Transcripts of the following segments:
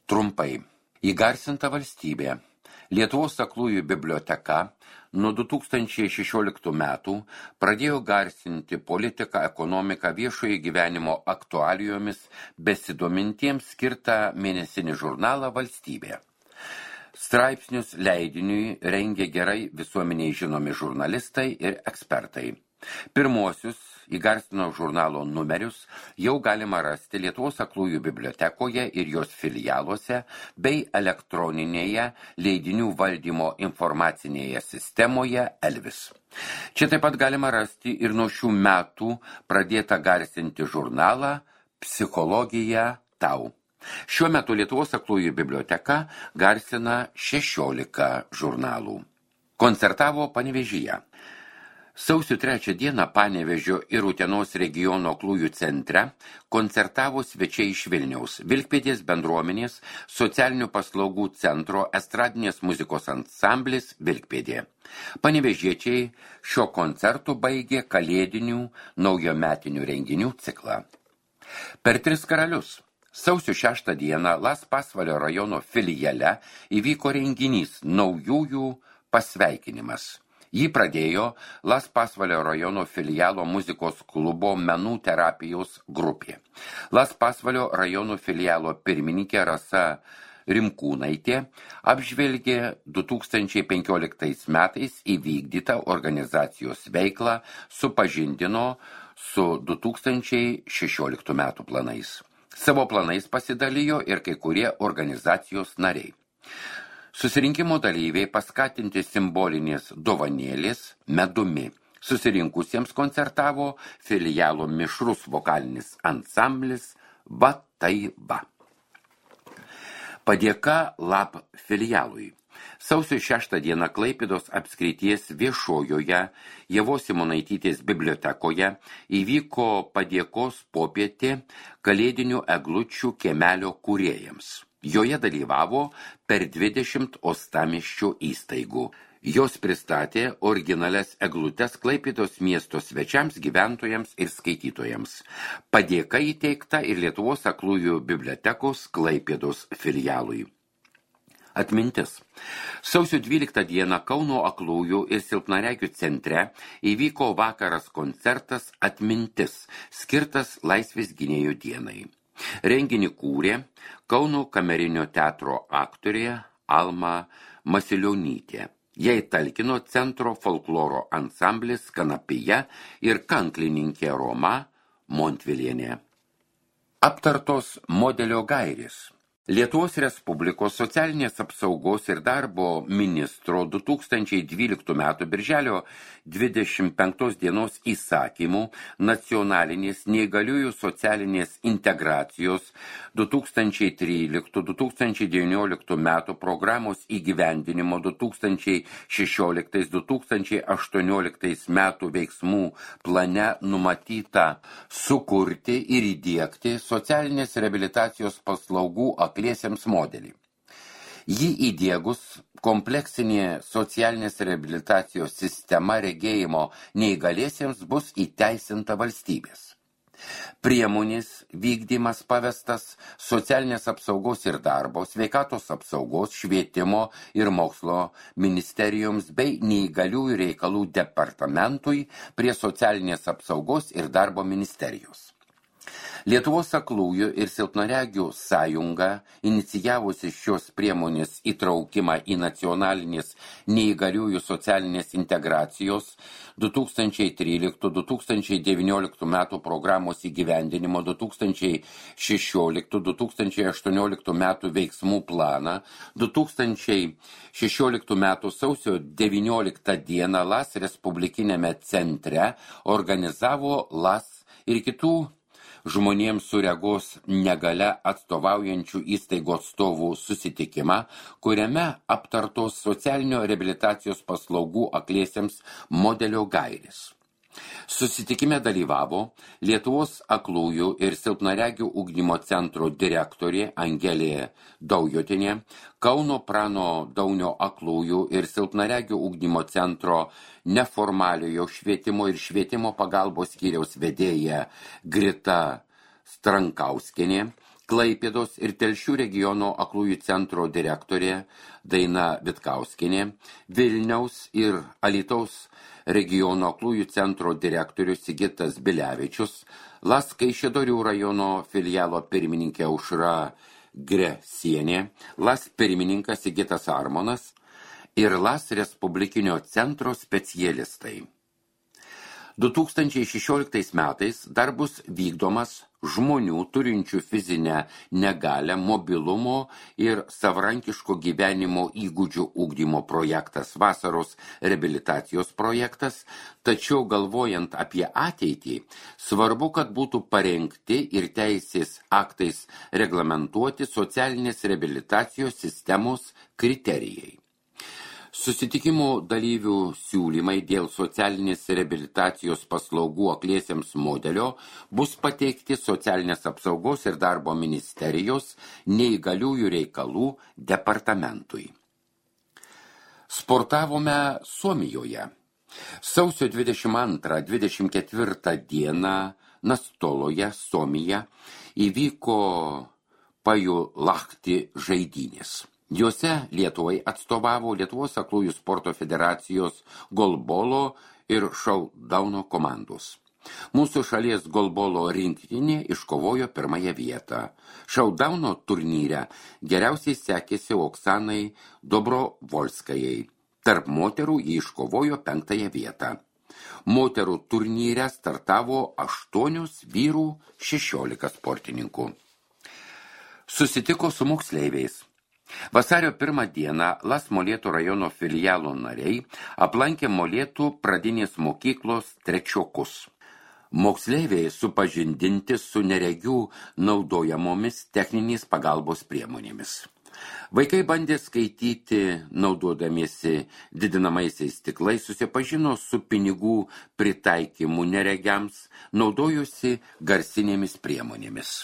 Trumpai. Įgarsinta valstybė. Lietuvos aklųjų biblioteka nuo 2016 metų pradėjo garsinti politiką, ekonomiką, viešojo gyvenimo aktualijomis besidomintiems skirtą mėnesinį žurnalą Valstybė. Straipsnius leidiniui rengia gerai visuomeniai žinomi žurnalistai ir ekspertai. Pirmuosius įgarsino žurnalo numerius jau galima rasti Lietuvos aklųjų bibliotekoje ir jos filialuose bei elektroninėje leidinių valdymo informacinėje sistemoje Elvis. Čia taip pat galima rasti ir nuo šių metų pradėtą garsinti žurnalą Psichologija tau. Šiuo metu Lietuvos aklųjų biblioteka garsina 16 žurnalų. Koncertavo Panevėžyje. Sausio 3 dieną Panevėžio ir Utenos regiono aklųjų centre koncertavo svečiai iš Vilniaus, Vilkpėdės bendruomenės, socialinių paslaugų centro estradinės muzikos ansamblis Vilkpėdė. Panevėžiečiai šio koncertu baigė kalėdinių naujometinių renginių ciklą. Per 3 karalius. Sausio 6 dieną Las Pasvalio rajono filiale įvyko renginys naujųjų pasveikinimas. Jį pradėjo Las Pasvalio rajono filialo muzikos klubo menų terapijos grupė. Las Pasvalio rajono filialo pirmininkė Rasa Rimkūnaitė apžvelgė 2015 metais įvykdytą organizacijos veiklą, supažindino su 2016 metų planais. Savo planais pasidalijo ir kai kurie organizacijos nariai. Susirinkimo dalyviai paskatinti simbolinės dovanėlės medumi. Susirinkusiems koncertavo filialo mišrus vokalinis ansamblis Va tai va. Padėka Lab filialui. Sausio 6 dieną Klaipėdos apskrities viešojoje Ievos Simonaitytės bibliotekoje įvyko padėkos popietė kalėdinių eglučių kiemelio kūrėjams. Joje dalyvavo per 20 uostamiesčio įstaigų. Jos pristatė originalias eglutes Klaipėdos miesto svečiams, gyventojams ir skaitytojams. Padėka įteikta ir Lietuvos aklųjų bibliotekos Klaipėdos filialui. Atmintis. Sausio 12 dieną Kauno aklųjų ir silpnaregių centre įvyko vakaras koncertas Atmintis, skirtas Laisvės gynėjų dienai. Renginį kūrė Kauno kamerinio teatro aktorė Alma Masilionytė. Jai talkino centro folkloro ansamblis Kanapija ir kanklininkė Roma Montvilienė. Aptartos modelio gairės. Lietuvos Respublikos socialinės apsaugos ir darbo ministro 2012 m. birželio 25 dienos įsakymų nacionalinės neįgaliųjų socialinės integracijos 2013-2019 m. programos įgyvendinimo 2016-2018 m. veiksmų plane numatyta sukurti ir įdiegti socialinės reabilitacijos paslaugų akliesiems modelį. Jį įdiegus kompleksinė socialinės reabilitacijos sistema regėjimo neįgaliesiems bus įteisinta valstybės. Priemonės vykdymas pavestas socialinės apsaugos ir darbo, sveikatos apsaugos, švietimo ir mokslo ministerijoms bei neįgaliųjų reikalų departamentui prie socialinės apsaugos ir darbo ministerijos. Lietuvos aklųjų ir silpnaregių sąjunga, inicijavusi šios priemonės įtraukimą į nacionalinės neįgaliųjų socialinės integracijos 2013-2019 metų programos įgyvendinimo 2016-2018 metų veiksmų planą 2016 metų sausio 19 dieną LAS Respublikinėme centre organizavo LAS ir kitų žmonėms su regos negalia atstovaujančių įstaigų atstovų susitikimą, kuriame aptartos socialinio reabilitacijos paslaugų akliesiems modelio gairės. Susitikime dalyvavo Lietuvos aklųjų ir silpnaregių ugdymo centro direktorė Angelė Daujotinė, Kauno Prano Daunio aklųjų ir silpnaregių ugdymo centro neformaliojo švietimo ir švietimo pagalbos skyriaus vedėja Grita Strankauskienė, Klaipėdos ir Telšių regiono aklųjų centro direktorė Daina Vitkauskienė, Vilniaus ir Alytaus regiono aklųjų centro direktorius Sigitas Bilevičius, LAS Kaišiadorių rajono filialo pirmininkė Aušra Gresienė, LAS pirmininkas Sigitas Armonas ir LAS Respublikinio centro specialistai. 2016 metais dar bus vykdomas žmonių turinčių fizinę negalią, mobilumo ir savarankiško gyvenimo įgūdžių ugdymo projektas, vasaros reabilitacijos projektas, tačiau galvojant apie ateitį, svarbu, kad būtų parengti ir teisės aktais reglamentuoti socialinės reabilitacijos sistemos kriterijai. Susitikimo dalyvių siūlymai dėl socialinės reabilitacijos paslaugų akliesiems modelio bus pateikti Socialinės apsaugos ir darbo ministerijos neįgaliųjų reikalų departamentui. Sportavome Suomijoje. Sausio 22-24 dieną Nastoloje, Suomija, įvyko Pajulahti žaidynės. Juose Lietuvai atstovavo Lietuvos aklųjų sporto federacijos golbolo ir šaudauno komandos. Mūsų šalies golbolo rinktinė iškovojo pirmąją vietą. Šaudauno turnyre geriausiai sekėsi Oksanai Dobrovolskajai. Tarp moterų jį iškovojo 5 vietą. Moterų turnyre startavo 8, vyrų 16 sportininkų. Susitiko su moksleiviais. Vasario 1 dieną LAS Molėtų rajono filialo nariai aplankė Molėtų pradinės mokyklos trečiokus. Moksleiviai supažindinti su neregių naudojamomis techninės pagalbos priemonėmis. Vaikai bandė skaityti naudodamiesi didinamaisiais stiklais, susipažino su pinigų pritaikymu neregiams, naudojosi garsinėmis priemonėmis.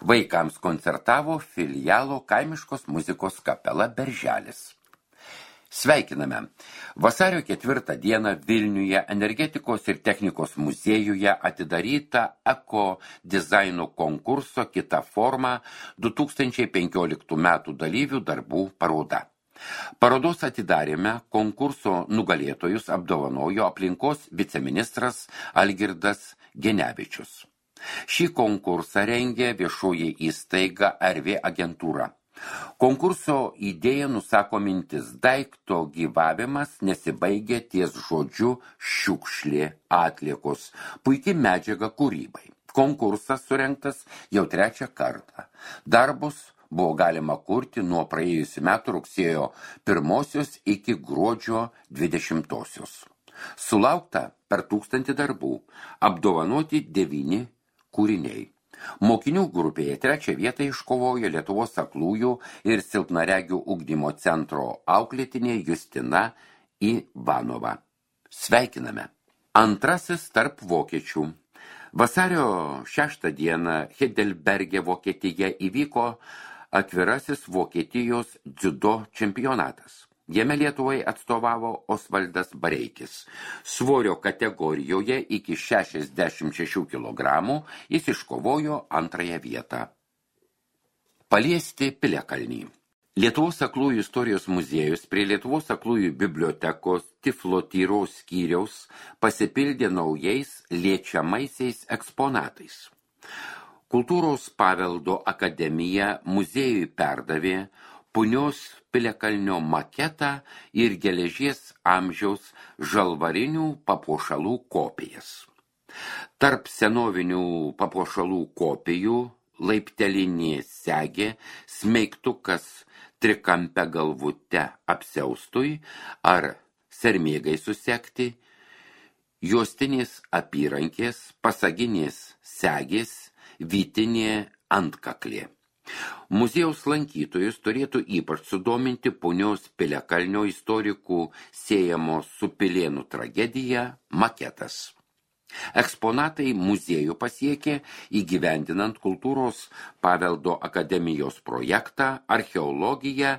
Vaikams koncertavo filialo kaimiškos muzikos kapela Berželis. Sveikiname! Vasario 4 dieną Vilniuje energetikos ir technikos muziejuje atidaryta eko dizaino konkurso kita forma 2015 metų dalyvių darbų paroda. Parodos atidarėme konkurso nugalėtojus apdovanojo aplinkos viceministras Algirdas Genevičius. Šį konkursą rengė viešoji įstaiga RV agentūra. Konkurso idėja nusako mintis: daikto gyvavimas nesibaigia ties žodžiu šiukšlė, atliekos, puiki medžiaga kūrybai. Konkursas surengtas jau 3 kartą. Darbus buvo galima kurti nuo praėjusių metų rugsėjo 1 iki gruodžio 20. Sulaukta per 1000 darbų, apdovanoti 9 kūriniai. Mokinių grupėje 3 vietą iškovojo Lietuvos aklųjų ir silpnaregių ugdymo centro auklėtinė Justina Ivanova. Sveikiname! Antrasis tarp vokiečių. Vasario 6 dieną Heidelberge, Vokietija, įvyko atvirasis Vokietijos dziudo čempionatas. Jame Lietuvai atstovavo Osvaldas Bareikis. Svorio kategorijoje iki 66 kg jis iškovojo 2 vietą. Paliesti Piliakalnį. Lietuvos aklųjų istorijos muziejus prie Lietuvos aklųjų bibliotekos tiflotyros skyriaus pasipildė naujais liečiamaisiais eksponatais. Kultūros paveldo akademija muziejui perdavė Punios Piliakalnio maketą ir geležies amžiaus žalvarinių papuošalų kopijas. Tarp senovinių papuošalų kopijų laiptelinė segė, smeigtukas trikampę galvute apsiaustui ar sermėgai susekti, juostinės apyrankės, pasaginės segės, vytinė antkaklė. Muziejaus lankytojus turėtų ypač sudominti Punios Piliakalnio istorikų siejamo su Pilėnų tragedija maketas. Eksponatai muziejų pasiekė įgyvendinant Kultūros paveldo akademijos projektą Archeologija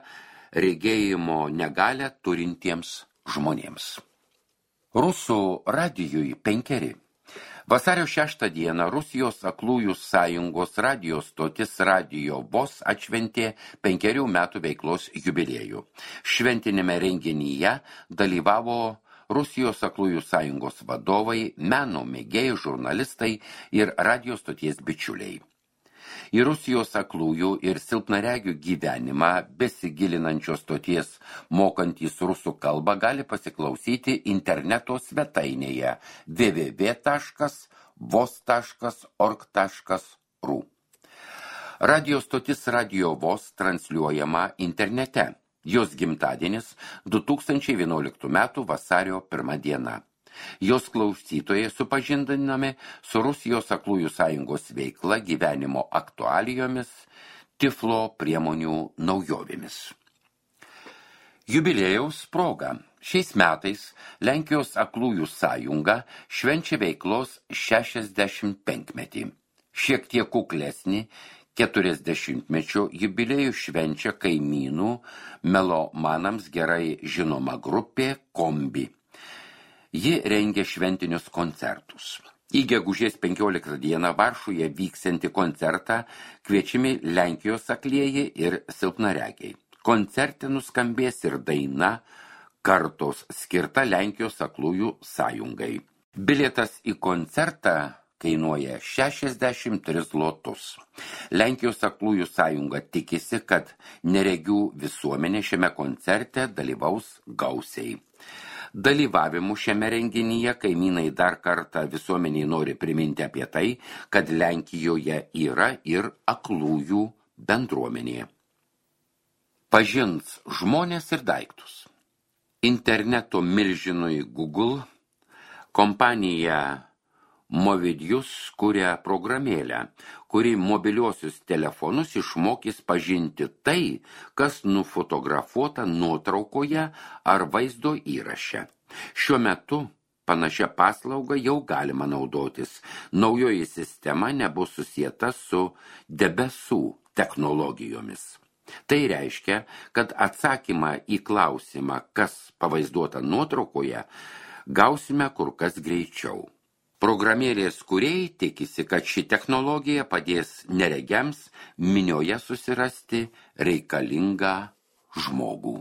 regėjimo negalią turintiems žmonėms. Rusų radijui 5. Vasario 6 dieną Rusijos aklųjų sąjungos radijo stotis Radio VOS atšventė 5 metų veiklos jubiliejų. Šventinėme renginyje dalyvavo Rusijos aklųjų sąjungos vadovai, meno mėgėjai, žurnalistai ir radijo stoties bičiuliai. Į Rusijos aklųjų ir silpnaregių gyvenimą besigilinančios stoties mokantys rusų kalbą gali pasiklausyti interneto svetainėje www.vos.org.ru. Radio stotis Radio VOS transliuojama internete. Jos gimtadienis 2011 m. vasario 1 diena. Jos klausytojai supažindinami su Rusijos aklųjų sąjungos veikla, gyvenimo aktualijomis, tiflo priemonių naujovėmis. Jubiliejaus proga. Šiais metais Lenkijos aklųjų sąjunga švenčia veiklos 65-metį. Šiek tiek kuklesnį 40-mečio jubiliejų švenčia kaimynų melomanams gerai žinoma grupė Kombi. Ji rengia šventinius koncertus. Į gegužės 15 dieną Varšuvoje vyksiantį koncertą kviečiami Lenkijos aklieji ir silpnaregiai. Koncerte nuskambės ir daina Kartos skirta Lenkijos aklųjų sąjungai. Bilietas į koncertą kainuoja 63 zlotus. Lenkijos aklųjų sąjunga tikisi, kad neregių visuomenė šiame koncerte dalyvaus gausiai. Dalyvavimu šiame renginyje kaimynai dar kartą visuomeniai nori priminti apie tai, kad Lenkijoje yra ir aklųjų bendruomenė. Pažins žmonės ir daiktus. Interneto milžinui Google kompanija Movidius kuria programėlę, kuri mobiliuosius telefonus išmokys pažinti tai, kas nufotografuota nuotraukoje ar vaizdo įraše. Šiuo metu panašia paslauga jau galima naudotis. Naujoji sistema nebus susieta su debesų technologijomis. Tai reiškia, kad atsakymą į klausimą, kas pavaizduota nuotraukoje, gausime kur kas greičiau. Programėlės kūrėjai tikisi, kad ši technologija padės neregiams minioje susirasti reikalingą žmogų.